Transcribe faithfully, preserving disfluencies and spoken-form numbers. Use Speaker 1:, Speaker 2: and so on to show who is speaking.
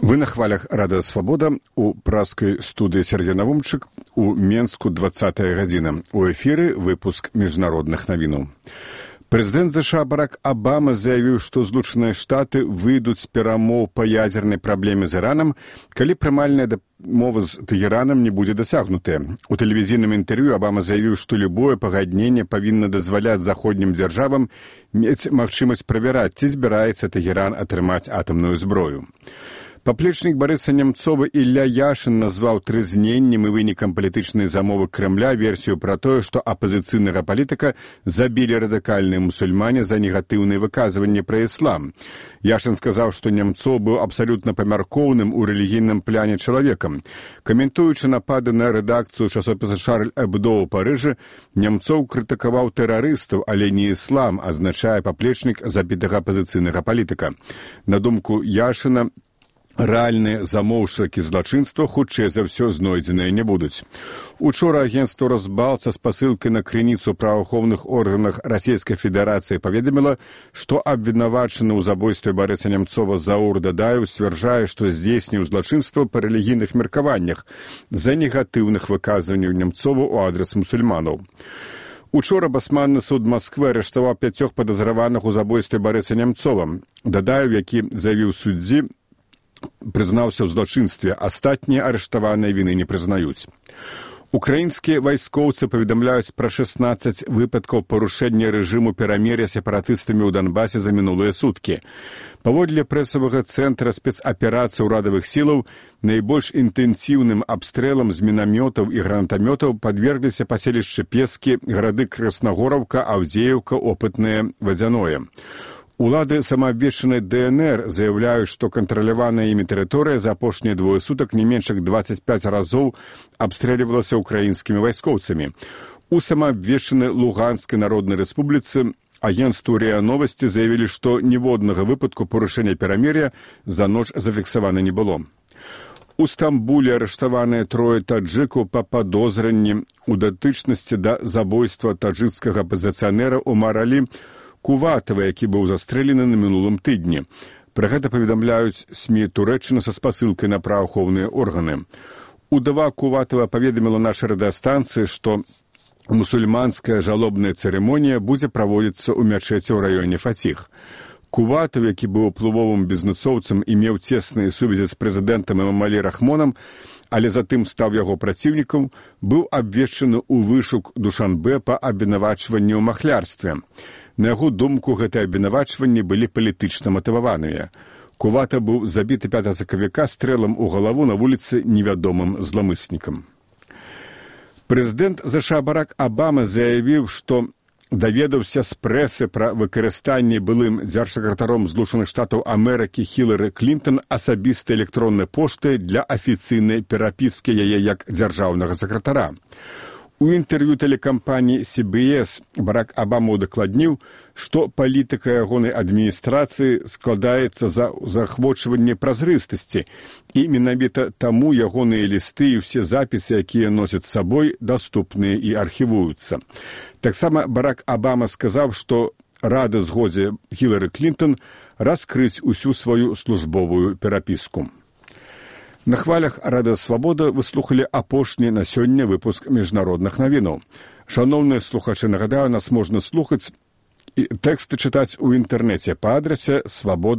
Speaker 1: Вы на хвалях «Радио Свобода» у праскай студыі Сергей Навумчык у Менску двадцатая гадзіна. У эфіры выпуск міжнародных навінаў. Прэзідэнт ЗША Барак Абама заявіў, што Злучаныя Штаты выйдуць з перамоў па ядзернай праблеме з Іранам, калі прымальная дамова з Тэгеранам не будзе дасягнутая. У тэлевізійным інтэрв'ю Абама заявіў, што любое пагадненне павінна дазваляць заходнім дзяржавам мець магчымасць правяраць, ці збіраецца Тэгеран атрымаць атамную зброю. Паплечнік Барыса Нямцова Ілля Яшын назваў трызненнем і вынікам палітычнай замовы Крэмля версію пра тое, што апазіцыйнага палітыка забілі радыкальныя мусульмане за негатыўныя выказванні пра іслам. Яшын сказаў, што Нямцоў быў абсалютна памяркоўным у рэлігійным пляне чалавекам. Каментуючы напады на рэдакцыю часопіса «Шарль Эбдо» ў Парыжы, Нямцоў крытыкаваў тэрарыстаў, але не іслам, азначае паплечнік забітага апазіцыйнага палітыка. На думку Яшына, рэальныя замоўшчыкі злачынства хутчэй за ўсё знойдзеныя не будуць. Учора агенцтва «Росбалт» са спасылкай на крыніцу праваахоўных органах Расійскай Федэрацыі паведаміла, што абвінавачаны ў забойстве Барыса Нямцова Заур Дадаеў сцвярджае, што здзейсніў злачынства па рэлігійных меркаваннях з-за негатыўных выказванняў Нямцова ў адрас мусульманаў. Учора басманны суд Масквы арыштаваў пяцёх падазраваных у забойстве Барыса Нямцова. Дадаеў, які заявіў суддзі, прызнаўся ў злачынстве, астатнія арыштаваныя віны не прызнаюць. Украінскія вайскоўцы паведамляюць пра шэснаццаць выпадкаў парушэння рэжыму перамір'я сепаратыстамі ў Донбасе за мінулыя суткі. Паводле прэсавага цэнтра спецаперацый урадавых сілаў, найбольш інтэнсіўным абстрэлам з мінамётаў і гранатамётаў падвергліся паселішчы Пескі, гарады Краснагораўка, Аўдзееўка, Опытнае, Вадзяное. Улады самаабвешчанай ДНР заяўляюць, што кантраляваная імі тэрыторыя за апошнія двое сутак не менш як дваццаць пяць разоў абстрэльвалася ўкраінскімі вайскоўцамі. У самаабвешчанай Луганскай народнай рэспубліцы агенцтву РИА Новости заявілі, што ніводнага выпадку парушэння перамір'я за ноч зафіксавана не было. У Стамбуле арыштаваныя трое таджыкаў па падозранні ў датычнасці да забойства таджыкскага апазіцыянера Умара Алі Куватава, які быў застрэлены на мінулым тыдні. Пра гэта паведамляюць СМІ Турэччыны са спасылкай на праваахоўныя органы. Удава Куватава паведаміла нашай радыёстанцыі, што мусульманская жалобная цырымонія будзе праводзіцца ў мячэці ў раёне Фаціх. Куватаў, які быў уплывовым бізнэсоўцам і меў цесныя сувязі з прэзідэнтам Эмамалі Рахмонам, але затым стаў яго праціўнікам, быў абвешчаны ў вышук Душанбе па абвінавачванні ў махлярстве. На яго думку, гэтыя абвінавачванні былі палітычна матываваныя. Кувата быў забіты пятага сакавіка стрэлам у галаву на вуліцы невядомым зламыснікам. Прэзідэнт ЗША Барак Абама заявіў, што даведаўся з прэсы пра выкарыстанне былым дзяржсакратаром Злучаных Штатаў Амерыкі Хілары Клінтон асабістай электроннай пошты для афіцыйнай перапіскі яе як дзяржаўнага сакратара. У інтэрв'ю тэлекампаніі Си Би Эс Барак Абама удакладніў, што палітыка ягонай адміністрацыі складаецца за захвочванне празрыстасці, і менавіта таму ягоныя лісты і ўсе запісы, якія носяць з сабой, даступныя і архівуюцца. Таксама Барак Абама сказаў, што рады згодзе Хілары Клінтон раскрыць усю сваю службовую перапіску. На хвалях «Радио Свобода» вы слухали апошні на сёння выпуск міжнародных навінаў. Шановныя слухачы, нагадаю, нас можна слухаць і тэксты чытаць у інтэрнэце па адрасе свобода